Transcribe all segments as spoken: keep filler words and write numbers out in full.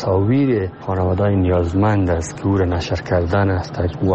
تصاویر خانواده‌های نیازمند است که او را نشر کردن است و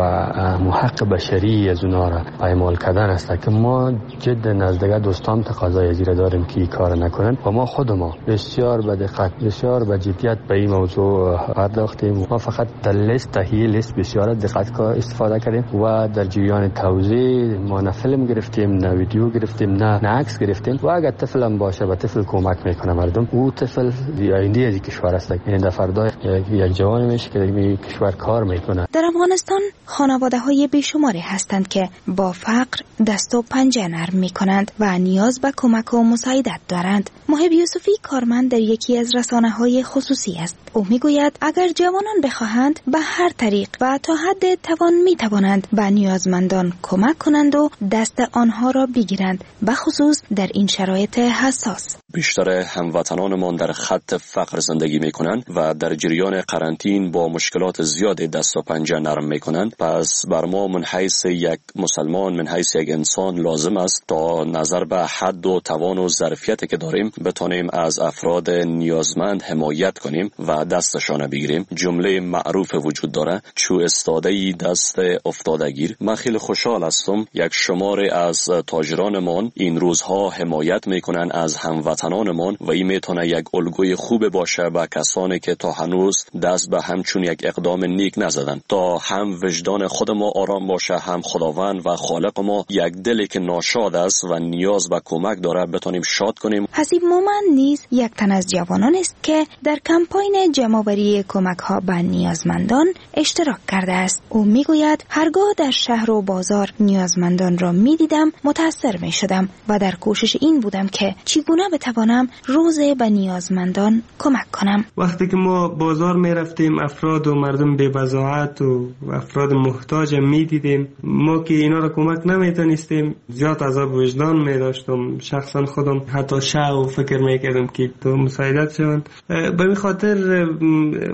حق بشری از اونها را پایمال کردن است که ما جدا از دیگر دوستان تقاضای از داریم که این کار نکنند و ما خود ما بسیار به دقت، بسیار به جدیت به این موضوع پرداختیم. ما فقط در لیست تهیه لیست بسیار دقت استفاده کردیم و در جریان توزیع ما نه فیلم گرفتیم، نه ویدیو گرفتیم، نه عکس گرفتیم و اگر طفل هم باشه به طفل کمک میکنه مردم. او طفل آینده از کشور است، یعنی در فردا یک جوان میشه که در کشور کار میکنه. در افغانستان خانواده های بیشماری هستند که با فقر دست و پنجه نرم میکنند و نیاز به کمک و مساعدت دارند. محب یوسفی کارمند در یکی از رسانه های خصوصی است. او میگوید اگر جوانان بخواهند به هر طریق و تا حد توان میتوانند به نیازمندان کمک کنند و دست آنها را بگیرند، به خصوص در این شرایط حساس. بیشتر هموطنانمان در خط فقر زندگی میکنند و در جریان قرنطین با مشکلات زیاد دست و پنجه نرم میکنند. پس بر ما من حیث یک مسلمان، من حیث یک انسان لازم است تا نظر به حد و توان و ظرفیتی که داریم بتانیم از افراد نیازمند حمایت کنیم و دستشان بگیریم. جمله معروف وجود داره، چو استاده‌ای دست افتاده گیر. من خیلی خوشحال هستم یک شمار از تاجرانمان این روزها حمایت میکنن از هموطنانمان و این میتونه یک الگوی خوب باشه به کسانی که تا هنوز دست به همچون یک اقدام نیک نزدن، تا هم وجدان خود ما آرام باشه، هم خداوند و خالق ما یک دلی که ناشاد است و نیاز به کمک داره بتونیم شاد کنیم. حسیب مومن نیز یک تن از جوانان است که در کمپاین جمع‌آوری کمک‌ها به نیازمندان اشتراک کرده است. او میگوید هرگاه در شهر و بازار نیازمندان را میدیدم متاثر میشدم و در کوشش این بودم که چگونه بتوانم روز به نیازمندان کمک کنم. وقتی که ما بازار میرفتیم افراد و مردم بی بضاعت و افراد محتاج میدیدیم، ما که اینا را کمک نمیتونستیم زیاد عذاب وجدان میداشتم. شخصا خودم حتی شع و فکر میکردم که تو مساعدت شوند. به این خاطر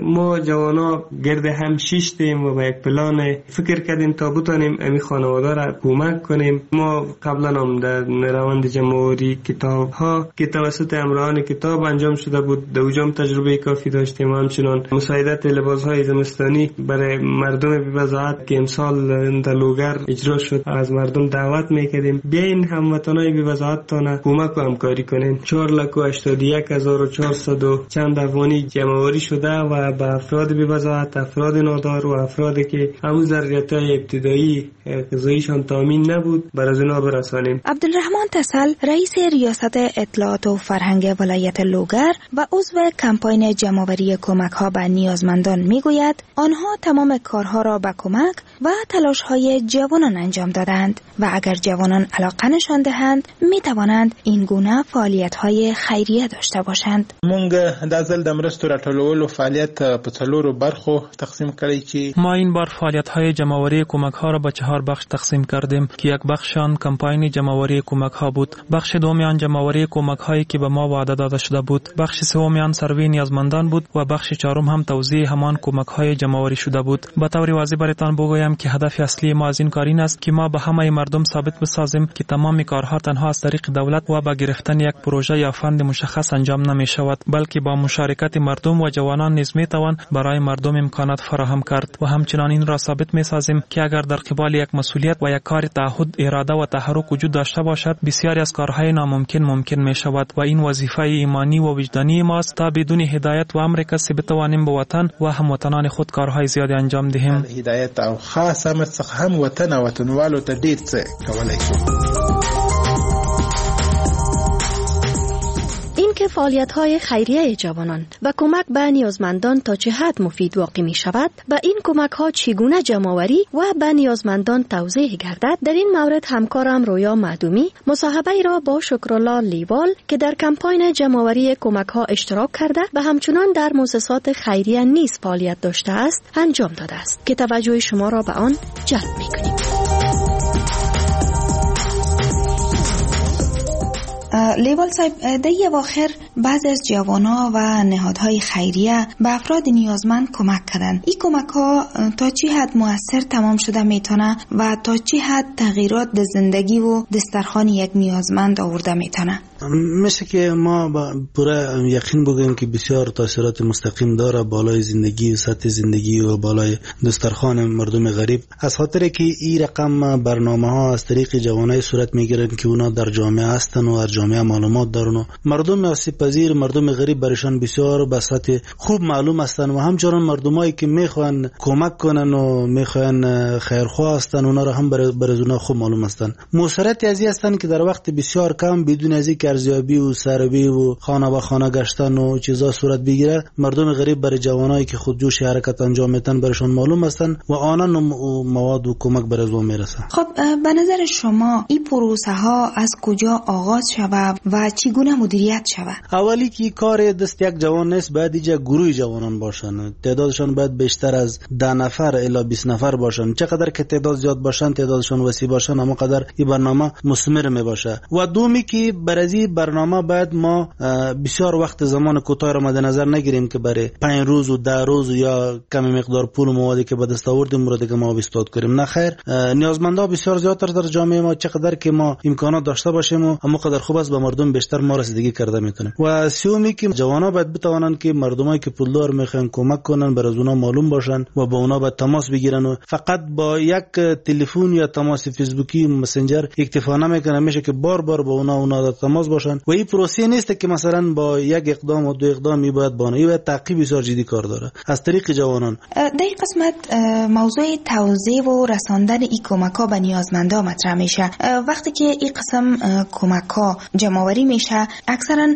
ما جوانا گرد هم شیشتیم و به یک پلان فکر کردیم تا بتانیم امی خانواده را کمک کنیم. ما قبلا هم در روند جمع‌آوری کتاب ها که توسط همراهان کتاب انجام شده بود در اوجام تجربه کافی داشتیم و همچنان مساعدت لباس های زمستانی برای مردم بی‌بضاعت که امسال در لوگر اجرا شد از مردم دعوت میکردیم بیاین هموطنای بی‌بضاعت تانه کمک و همکاری کنین. چهار لک و هشتاد و یک هزار و چهارصد و چند افغانی جمع‌آوری شده و به افراد بی‌بضاعت، افراد نادار و افرادی که همون ضرورت‌های ابتدایی غذاییشان تامین نبود بر از اونا برسانیم. عبدالرحمن تسل رئیس ریاست اطلاعات و فرهنگ ولایت لوگر و عضو کمپاین جمع‌آوری کمک‌ها به نیازمندان میگوید آنها تمام کارها را به کمک و تلاش‌های جوانان انجام دادند و اگر جوانان علاقه نشان دهند میتوانند این گونه فعالیت‌های خیریه داشته باشند. مونږ دا ځل د مرستو راټولولو فعالیت په څلورو برخو تقسیم کړی چې ما این بار فعالیت‌های جمع‌آوری کمک‌ها را به چهار بخش تقسیم کردیم که یک بخش آن کمپاین جمع‌آوری کمک‌ها بود، بخش دوم آن جمع‌آوری کمک‌هایی که به ما وعده داده شده بود، بخش سوم آن سروی نیازمندان بود و بخش چهارم هم توزیع همان کمک‌های جمع‌آوری شده بود. به طور واضح برایتان بگویم که هدف اصلی ما از این کار این است که ما به همه مردم ثابت بسازیم که تمام کارها تنها از طریق دولت و با گرفتن یک پروژه یا فند مشخص انجام نمی شود، بلکه با مشارکت مردم و جوانان نیز می توان برای مردم امکانات فراهم کرد و همچنان این را ثابت می سازیم که اگر در قبال یک مسئولیت و یک کار تعهد، اراده و تحرک وجود داشته باشد، بسیاری از کارهای ناممکن ممکن می شود و این وظیفه ایمانی و وجدانی ماست تا بدون هدایت و امر کسی بتوانیم به وطن و هموطنان خود کارهای زیادی انجام دهیم. هدایت او خاص امر څخه هم وطن او وطنوالو ته ډیر څه کولای شو. اینکه فعالیت‌های خیریه جوانان و کمک به نیازمندان تا چه حد مفید واقع می شود، به این کمک‌ها چگونه جمع‌آوری و به نیازمندان توزیع گردد، در این مورد همکارم رویا معدومی مصاحبه ای را با شکرالله لیوال که در کمپاین جمع‌آوری کمک‌ها اشتراک کرده و همچنان در مؤسسات خیریه نیز فعالیت داشته است انجام داده است که توجه شما را به آن جلب می‌کنیم. لیوال صاحب، در یه اواخر بعضی از جوانا و نهادهای خیریه به افراد نیازمند کمک کردند. این کمک ها تا چه حد مؤثر تمام شده میتونه و تا چه حد تغییرات در زندگی و دسترخوان یک نیازمند آورده میتونه؟ میشه که ما با پوره یقین بگوییم که بسیار تاثیرات مستقیم داره بالای زندگی و سطح زندگی و بالای دسترخوان مردم غریب، از خاطر که این رقم برنامه ها از طریق جوانای صورت میگیرن که اونا در جامعه هستن و در جامعه معلومات دارن و مردم آسیب پذیر، مردم غریب برایشان بسیار به سطح خوب معلوم هستن و همچنان مردمایی که میخوان کمک کنن و میخوان خیرخواه هستن اونا را هم برای اونا خوب معلوم هستن. موثرت ازی هستن که در وقت بسیار کم بدون از اینکه ارزیابی و سروی و خانه به خانه گشتن و چیزا صورت بگیره، مردم غریب برای جوانایی که خودجوش حرکت انجام میدن برایشان معلوم هستن و آنان مواد و کمک برای ازو میرسه. خب به نظر شما این پروسه ها از کجا آغاز شود و چگونه مدیریت شود؟ اولی که کار دست یک جوان نیست، باید اینجا گروه جوانان باشن، تعدادشان باید بیشتر از ده نفر الی بیست نفر باشن. چقدر که تعداد زیاد باشن، تعدادشان وسیع باشن، اما قدر این برنامه مثمر می باشه. و دومی که برای برنامه باید ما بسیار وقت زمان کوتاه را مد نظر نگیریم که برای پنج روز و ده روز یا کمی مقدار پول و موادی که به دست آوردیم رو دیگه ما استاد کنیم. نه خیر، نیازمندا بسیار زیادتر در جامعه ما، چقدر که ما امکانات داشته باشیم و اما قدر خوب است به مردم بیشتر ما رسیدگی کرده میتونیم. و سومی که جوانا باید بتوانند که مردمایی که پولدار میخوان کمک کنن برای اونا معلوم باشن و با اونا باید تماس بگیرن و فقط با یک تلفن یا تماس فیسبوکی مسنجر اکتفا نمیکنه، میشه که بار بار با اونا اونا در تماس باشن. و این پروسه نیست که مثلا با یک اقدام و دو اقدام می باید بانه، این باید تعقیب بسیار جدی کار داره از طریق جوانان. در این قسمت موضوع توزیع و رساندن این کمک‌ها به نیازمندا مطرح میشه. وقتی که این قسم کمک‌ها جمع‌آوری میشه، اکثرا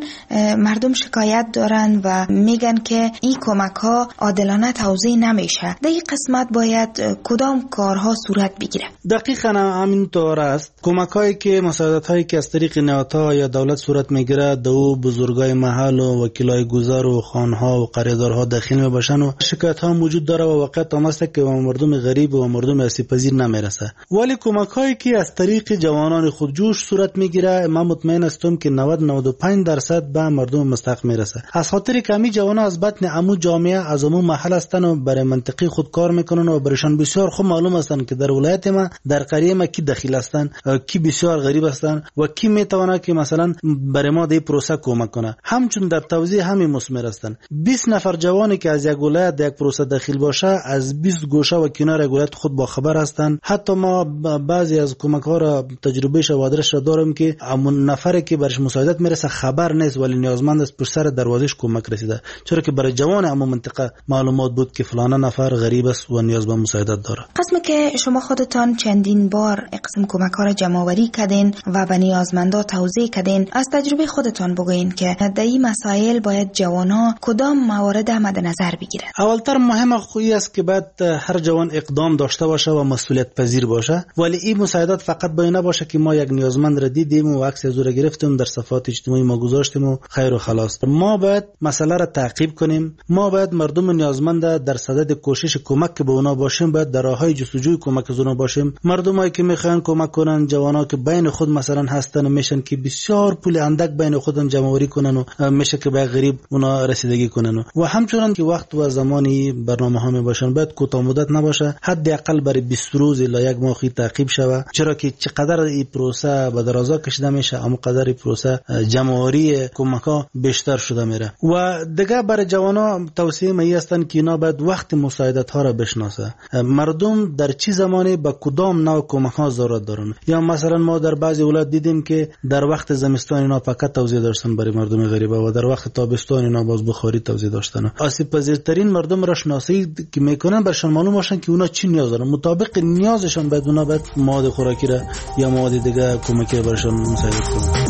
مردم شکایت دارن و میگن که این کمک‌ها عادلانه توزیع نمیشه. در این قسمت باید کدام کارها صورت بگیره؟ دقیقاً همین طور است. کمک‌هایی که مساعدت‌هایی که از طریق نهادها یا دولت صورت میگیره، دو بزرگای محل و وکیلای گذر و خانها و قریدارها دخیل میباشن و شکایت ها وجود داره و واقعیت هم است که مردم غریب و مردم آسیب پذیر نمیرسه. ولی کمک‌هایی که از طریق جوانان خودجوش صورت میگیره، من مطمئن هستم که نود نود و پنج درصد به مردم مستحق میرسه. از خاطر کمی جوانان از بطن عمو جامعه، از عمو محل هستن و برای منطقه خود کار میکنن و برایشان بسیار خوب معلوم هستن که در ولایت ما، در قریه ما کی دخیل هستن، کی بسیار غریب هستن و کی میتونه که مثلا برای ما دی پروسه کمک کنه. همچون در توزیع همین مثمر هستن. بیست نفر جوانی که از یک ولایت در یک پروسه دخیل باشه، از بیست گوشه و کنار ولایت خود با خبر هستن. حتی ما بعضی از کمک ها را تجربه و آدرس را داریم که همون نفری که برش مساعدت میرسه خبر نیست ولی نیازمند است، پشت سر دروازهش کمک رسیده، چرا که برای جوان همون منطقه معلومات بود که فلان نفر غریب است و نیاز به مساعدت داره. قسمی که شما خودتان چندین بار قسم کمک ها را جمع آوری کردین و به نیازمندا توزیع کردین، از تجربه خودتان بگوین که در این مسائل باید جوانا کدام موارد مد نظر بگیرن؟ اولتر مهم خویی است که باید هر جوان اقدام داشته باشه و مسئولیت پذیر باشه، ولی این مساعدت فقط باید نباشه که ما یک نیازمند را دیدیم و عکس از او را گرفتیم در صفحات اجتماعی ما گذاشتیم و خیر و خلاص. ما باید مسئله را تعقیب کنیم، ما باید مردم نیازمند در صدد کوشش کمک که به اونا باشیم، باید در راههای جستجوی کمک از اونا باشیم. مردمایی که میخوان کمک کنن، جوانا که بین خود مثلا هستن میشن که بسیار پول اندک بین خودن جمع آوری کنن و میشه که به غریب اونا رسیدگی کنن. و همچنان که وقت و زمانی برنامه ها می باشن باید کوتاه مدت نباشه، حداقل برای بیست روز الی یک ماه تعقیب شوه، چرا که چقدر این پروسه به درازا کشیده میشه اما قدر این پروسه جمع آوری کمک ها بیشتر شده میره. و دیگه برای جوانا توصیه می هستن که اینا باید وقت مساعدت ها را بشناسه، مردم در چه زمانی به کدام نوع کمک ها ضرورت دارن. یا مثلا ما در بعضی ولایت دیدیم که در وقت زمستان اینا پکت توزیع داشتن برای مردم غریبه و در وقت تابستان اینا باز بخاری توزیع داشتن. آسیب پذیرترین مردم را شناسایی که میکنن برشان معلوم باشن که اونا چی نیاز دارن، مطابق نیازشان باید اونا باید مواد خوراکی را یا مواد دیگه کمکی را برشان مساعدت کنن.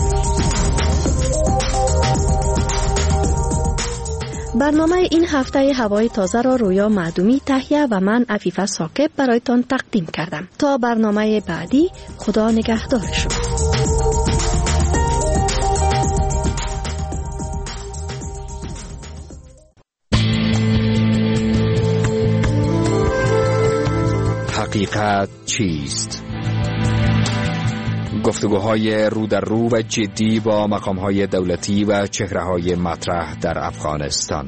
برنامه این هفته هوای تازه را رویا معدومی تهیه و من عفیفه ثاقب برایتان تقدیم کردم. تا برنامه بعدی، خدا نگهدار شما. حقیقت چیست؟ گفتگوهای رو در رو و جدی با مقامهای دولتی و چهره‌های مطرح در افغانستان.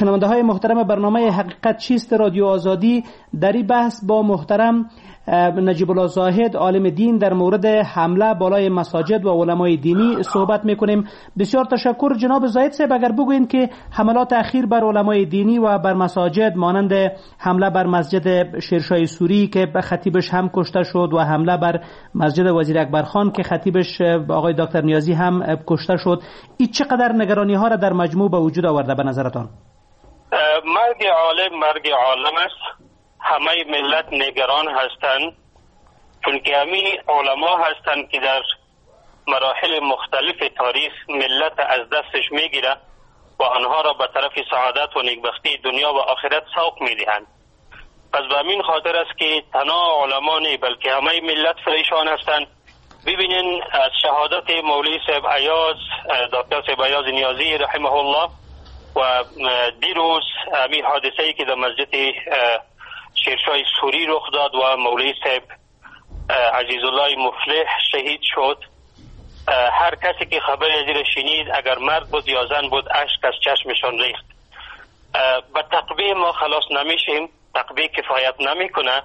شنونده های محترم برنامه حقیقت چیست رادیو آزادی، در این بحث با محترم نجیب الله زاهد عالم دین در مورد حمله بالای مساجد و علمای دینی صحبت میکنیم. بسیار تشکر جناب زاهد صاحب. اگر بگوییم که حملات اخیر بر علمای دینی و بر مساجد مانند حمله بر مسجد شیرشاه سوری که خطیبش هم کشته شد و حمله بر مسجد وزیر اکبر خان که خطیبش آقای دکتر نیازی هم کشته شد، این چقدر نگرانی ها را در مجموع به وجود آورده به نظرتان؟ مرگ عالم مرگ عالم است. همه ملت نگران هستند، چون که همین علما هستند که در مراحل مختلف تاریخ ملت از دستش میگیره و آنها را به طرف سعادت و نیکبختی دنیا و آخرت سوق میدهند. پس به همین خاطر است که تنها علما نه بلکه همه ملت پریشان هستند. ببینین از شهادت مولوی صاحب ایاز، دکتر صاحب ایاز نیازی رحمه الله، و دیروز همین حادثه ای که در مسجد شیرشاه سوری رخ داد و مولوی صاحب عزیزالله مفلح شهید شد، هر کسی که خبر از این شنید اگر مرد بود یا زن بود اشک از چشمشان ریخت. به تقبیح ما خلاص نمیشیم، تقبیح کفایت نمیکنه.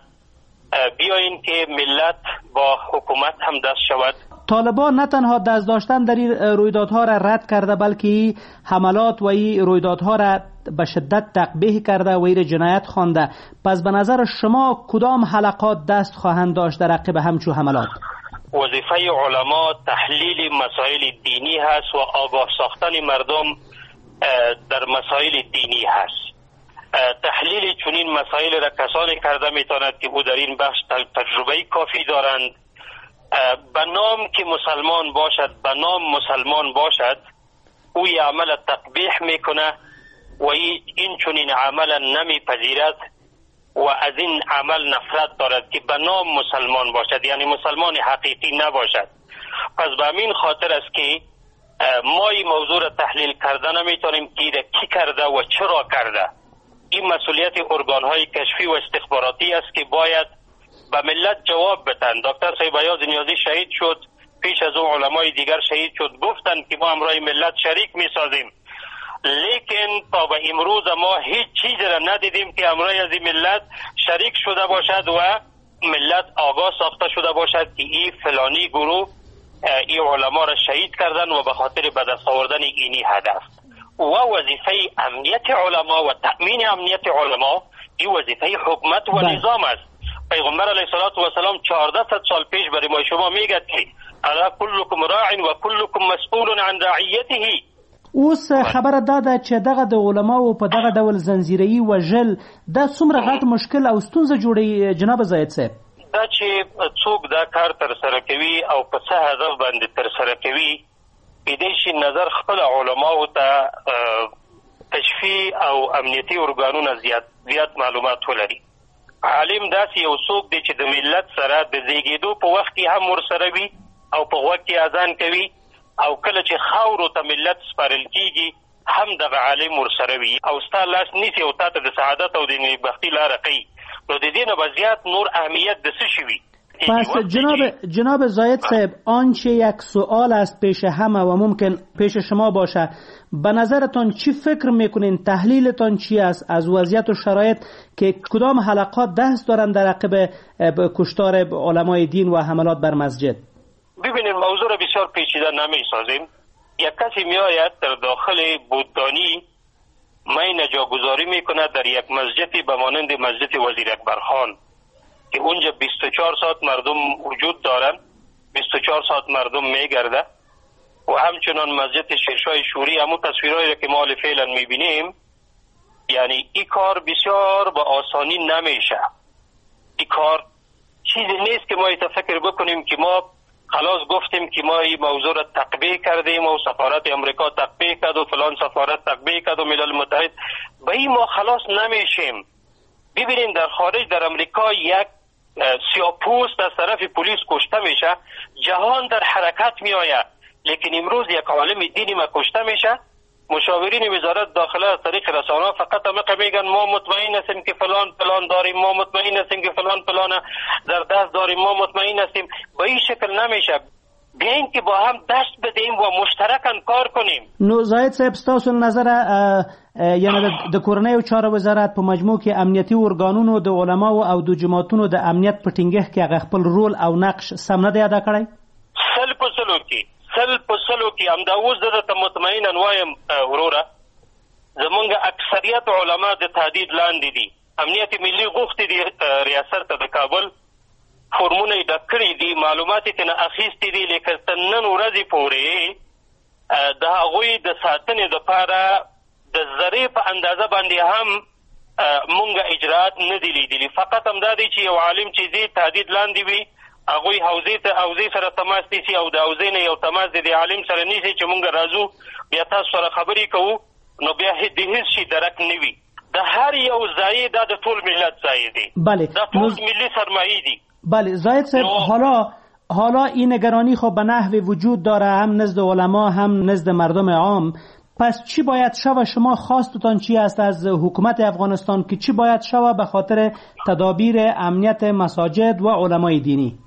بیاین که ملت با حکومت هم دست شود. طالبان نه تنها دست داشتن در این رویدادها را رد کرده، بلکه حملات و این رویدادها را به شدت تقبیح کرده و این جنایت خوانده. پس به نظر شما کدام حلقات دست خواهند داشت در عقب همچو حملات؟ وظیفه علما تحلیل مسائل دینی هست و آگاه ساختن مردم در مسائل دینی هست. تحلیل چنین مسائل را کسانی کرده میتواند که او در این بخش تجربه کافی دارند. به نام که مسلمان باشد، به نام مسلمان باشد، او عمل تقبیح میکنه و این چنین عمل نمیپذیرد و از این عمل نفرت دارد که به نام مسلمان باشد، یعنی مسلمان حقیقی نباشد. پس به همین خاطر است که ما این موضوع را تحلیل کرده نمیتونیم که کی کرده و چرا کرده. این مسئولیت ارگان‌های کشفی و استخباراتی است که باید به ملت جواب بدن. دکتر صاحب ایاز نیازی شهید شد، پیش از او علمای دیگر شهید شد، گفتند که ما همراه ملت شریک میسازیم، لیکن تا به امروز ما هیچ چیز را ندیدیم که همراه از این ملت شریک شده باشد و ملت آگاه ساخته شده باشد که این فلانی گروه این علما را شهید کردن و به خاطر به دست آوردن اینی هدف. و وظیفه امنیت علما و تأمین امنیت علما این وظیفه حکومت و نظام است. پیغمبر علیه الصلاة والسلام چهارده صد سال پیش برای ما شما میگه که الا کلکم راع و کلکم مسئول عن رعیته. اوس خبره دا ده چې دغه د علماو په دغه ډول زنجیره‌ای وژل دا څومره غټ مشکل او ستونزه جوړوي جناب زاهد صاحب؟ دا چې څوک دا کار ترسره کوي او په څه هدف باندې ترسره کوي، کېدای شي نظر خپل علماو ته کشفي او امنیتي ارګانونه زیات زیات معلومات ولري. عالم داسې یو څوک دی چې د ملت سره د زیږېدو په وخت کې هم ورسره وي او په غوږ کې اذان کوي، او کله چې خاورو ته ملت سپارل کیږي هم دغه عالم ورسره وي او ستا لاس نیسي او تا ته د سعادت او د نیکبختي لاره ښیي. نو د دې نه به زیات نور اهمیت د څه شي وي؟ پس جناب جناب زاهد صاحب، آنچه یک سوال است پیش همه و ممکن پیش شما باشه، به نظرتان چی فکر میکنین، تحلیلتان چی است از وضعیت و شرایط که کدام حلقات دست دارند در عقب کشتار علمای دین و حملات بر مسجد؟ ببینید موضوع را بسیار پیچیده نمیسازیم. یک کسی میآید در داخل بودانی مین جاگذاری میکند در یک مسجدی به مانند مسجد وزیر اکبر خان که اونجا بیست و چهار ساعت مردم وجود دارند، بیست و چهار ساعت مردم میگرده، و همچنان مسجد شیرشاه شوری، همون تصویرهایی را که ما فعلا میبینیم، یعنی این کار بسیار با آسانی نمیشه. این کار چیزی نیست که ما فکر بکنیم که ما خلاص گفتیم که ما این موضوع را تقبیح کردیم و سفارت امریکا تقبیح کرد و فلان سفارت تقبیح کرد و ملل متحد، به این ما خلاص نمیشیم. ببینیم در خارج، در امریکا یک سیاه‌پوست از طرف پلیس کشته میشه، جهان در حرکت میآید، لیکن امروز یک عالم دینی ما کشته میشه، مشاورین وزارت داخله از طریق رسانه فقط هم میگن ما مطمئن هستیم که فلان فلان داریم، ما مطمئن هستیم که فلان فلان در دست داریم، ما مطمئن هستیم. به این شکل نمیشه. بیاین که با هم دست بدهیم و مشترکاً کار کنیم. نو زاهد صاحب، ستاسو له نظره یعنی د کورنیو چارو وزارت په مجموع کې امنیتي ارګانونو د علماو او د جوماتونو د امنیت په ټینګښت کې هغه خپل رول او نقش سم نه دی ادا کړی؟ سل په سلو کې، سل په سلو کې. همدا اوس زه درته مطمئنا وایم وروره، زمونږ اکثریت علما د تهدید لاندې دي. امنیت ملي غوښتي دي ریاست ته د کابل، فورمونه یې ډک کړي دي، معلومات یې ترېنه اخیستي دي، لیکن تر نن ورځې پورې د هغوی د ساتنې دپاره د ذرې په اندازه باندې هم مونږ اجراات نه دي لیدلي. فقط همدا دی چې یو عالم چې ځي تهدید لاندې وي، هغوی حوزې ته حوزې سره تماس نیسي او د حوزې نه یو تماس د دې عالم سره نیسي چې مونږ راځو بیا تاسو سره خبرې کوو، نو بیا د هیڅ شي درک نه وي. د هر یو ځای دا د ټول ملت ځای دی، بله، دا ټول ملي سرمایې دي. بله زاهد صاحب، حالا حالا این نگرانی خب به نحو وجود داره، هم نزد علما هم نزد مردم عام. پس چی باید شوه؟ شما خواستتان چی است از حکومت افغانستان که چی باید شوه به خاطر تدابیر امنیت مساجد و علمای دینی؟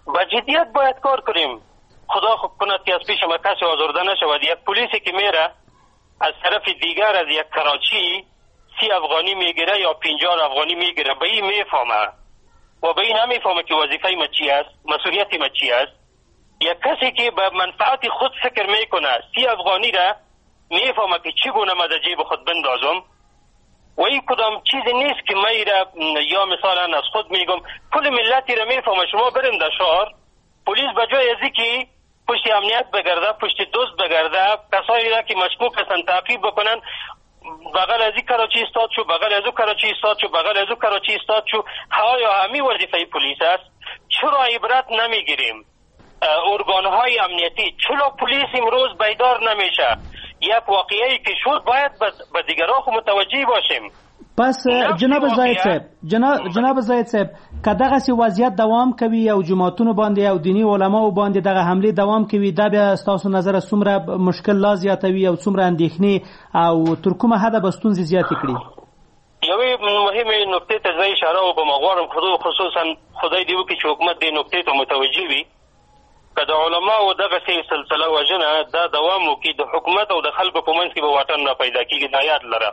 با جدیت باید کار کنیم. خدا خوب کند که از پیش ما کسی آزرده نشود. یک پلیسی که میره از طرف دیگر از یک کراچی سی افغانی میگیره یا پنجاه افغانی میگیره، به این میفهمه و به این نمیفهمه که وظیفه ما چی است، مسئولیت ما چی است. یک کسی که به منفعت خود فکر میکنه سی افغانی را میفهمه که چگونه ما در جیب خود بندازم، و این کدام چیزی نیست که من را یا مثلا از خود میگم، کل ملتی را میفهمه. شما بریم در شهر، پلیس به جای از که پشت امنیت بگرده، پشت دوست بگرده، کسایی را که مشکوک هستند تعقیب بکنن، بغل از این کراچی ایستاد شو، بغل از او کراچی ایستاد شو، بغل از او کراچی ایستاد شو. آیا همی وظیفه پلیس است؟ چرا عبرت نمیگیریم؟ ارگانهای امنیتی چرا پلیس امروز بیدار نمیشه؟ یک واقعی که شد باید به دیگران خو متوجه باشیم. پس جناب زاهد صاحب، جناب جناب زاهد صاحب، که دغسې وضعیت دوام کوي او جوماتونو باندې او دیني علماو باندې دغه حملې دوام کوي، دا بیا ستاسو نظر څومره مشکل لا زیاتوي او څومره اندېښنې او تر کومه حده به ستونزې زیاتې کړي؟ یوې مهمې نکتې ته زه اشاره وکړم، غواړم خصوصا خدای دې وکړي چې حکومت دې نکتې ته متوجه وي. که د علماو دغسې سلسله وژنه دا دوام وکړي، د حکومت او د خلکو په منځ کې به واټن را پیدا کېږي، دا یاد لره.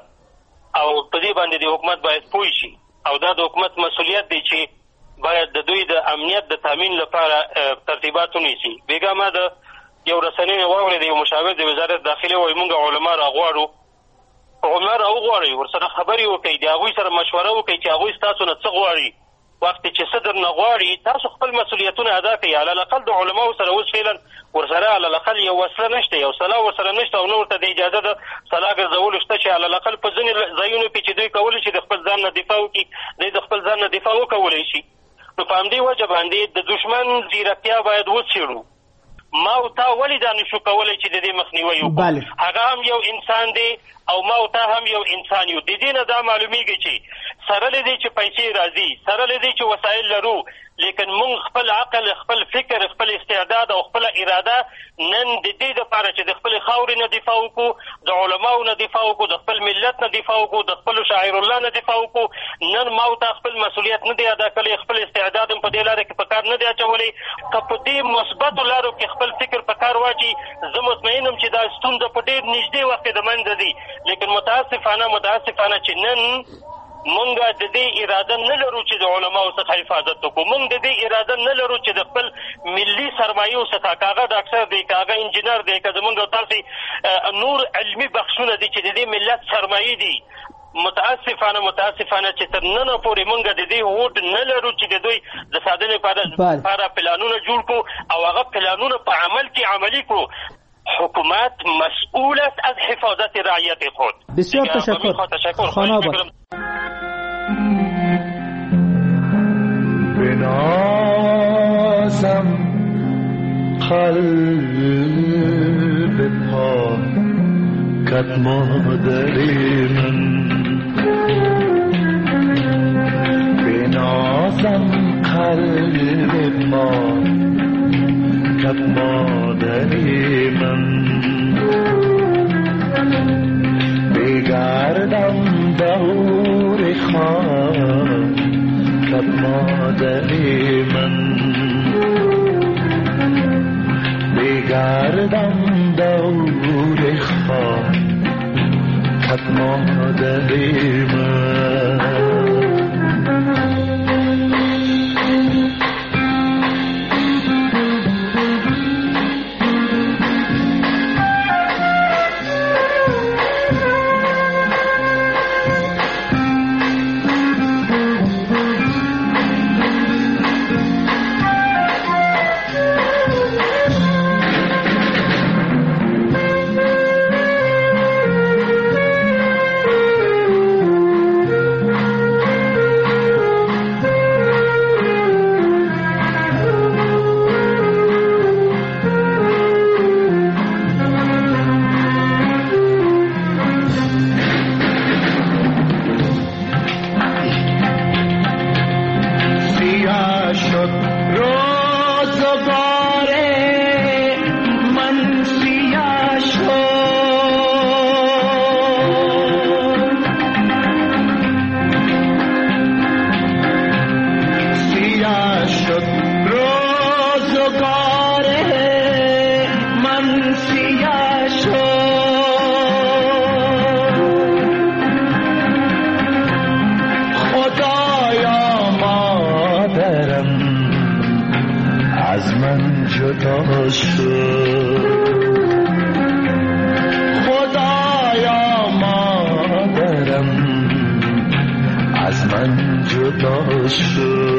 او په دې باندې د حکومت باید پوه شي، او دا د حکومت مسؤلیت دی چې باید د دوی د امنیت د تامین لپاره ترتیبات ونیسي. بېګا ما د یو رسنۍ نه واورېد، یو مشاور د وزارت داخلي وایي موږ علما راغواړو، علما راوغواړئ، ورسره خبرې وکړئ، د هغوی سره مشوره وکړئ چې هغوی ستاسو نه څه غواړي. وخت چې څه درنه غواړي تاسو خپل مسؤلیتونه ادا کړئ. علی الاقل د علماو سره اوس فعلا ورسره علی الاقل یو وسله نشته، یو سلاح ورسره نشته، او نه ورته د اجازه د سلاح ګرځولو شته چې علی الاقل په ځینې ځایونو کې چې دوی کولی شي د خپل ځان نه دفاع وکړي، دوی د خپل ځان نه دفاع وکولی شي. نو په همدې وجه باندې د دښمن ځیرکتیا باید وڅېړو. ما او تا ولې دا نشو کولی چې د دې مخنیوی وکړو؟ هغه هم یو انسان دی او ما او تا هم یو انسان یو. د دې نه دا معلومیږي چې سره له دې چې پیسې راځي، سره له دې چې وسایل لرو، لیکن موږ خپل عقل، خپل فکر، خپل استعداد او خپل اراده نن د دې لپاره چې د خپل خاورې نه دفاع وکړو، د علماو نه دفاع وکړو، د خپل ملت نه دفاع وکړو، د خپل شاعر الله نه دفاع وکړو، نن ما او تا خپل مسؤلیت نه دی ادا کړی، خپل استعداد هم په دې لاره کې په کار نه دی اچولی. که په دې مثبتو لارو کې خپل فکر په کار واچي، زه مطمئن یم چې دا ستونزه په ډېر نږدې وخت کې د منځه ځي. لیکن متاسفانه متاسفانه چې نن مونږ د دې اراده نه لرو چې د علماو څخه حفاظت وکړو، مونږ د دې اراده نه لرو چې د خپل ملي سرمایو څخه، که هغه ډاکټر دی، که هغه انجینر دی، که زمونږ تاسې نور علمي بخشونه دي چې د دې ملت سرمایې دي، متاسفانه متاسفانه چې تر ننه پورې مونږ د دې هوډ نه لرو چې د دوی د ساتنې لپاره پلانونه جوړ کړو او هغه پلانونه په عمل کې عملي کړو. حکومت مسئول است از حفاظت رعیت خود. بسیار تشکر. تشکر. خانه بنازم قلب پاکت مادر من، بنازم قلب پاکت مادر من، بگردم دور خاکت مادر من، بگردم دور خاکت مادر من. خدایا مادرم از من جدا شد.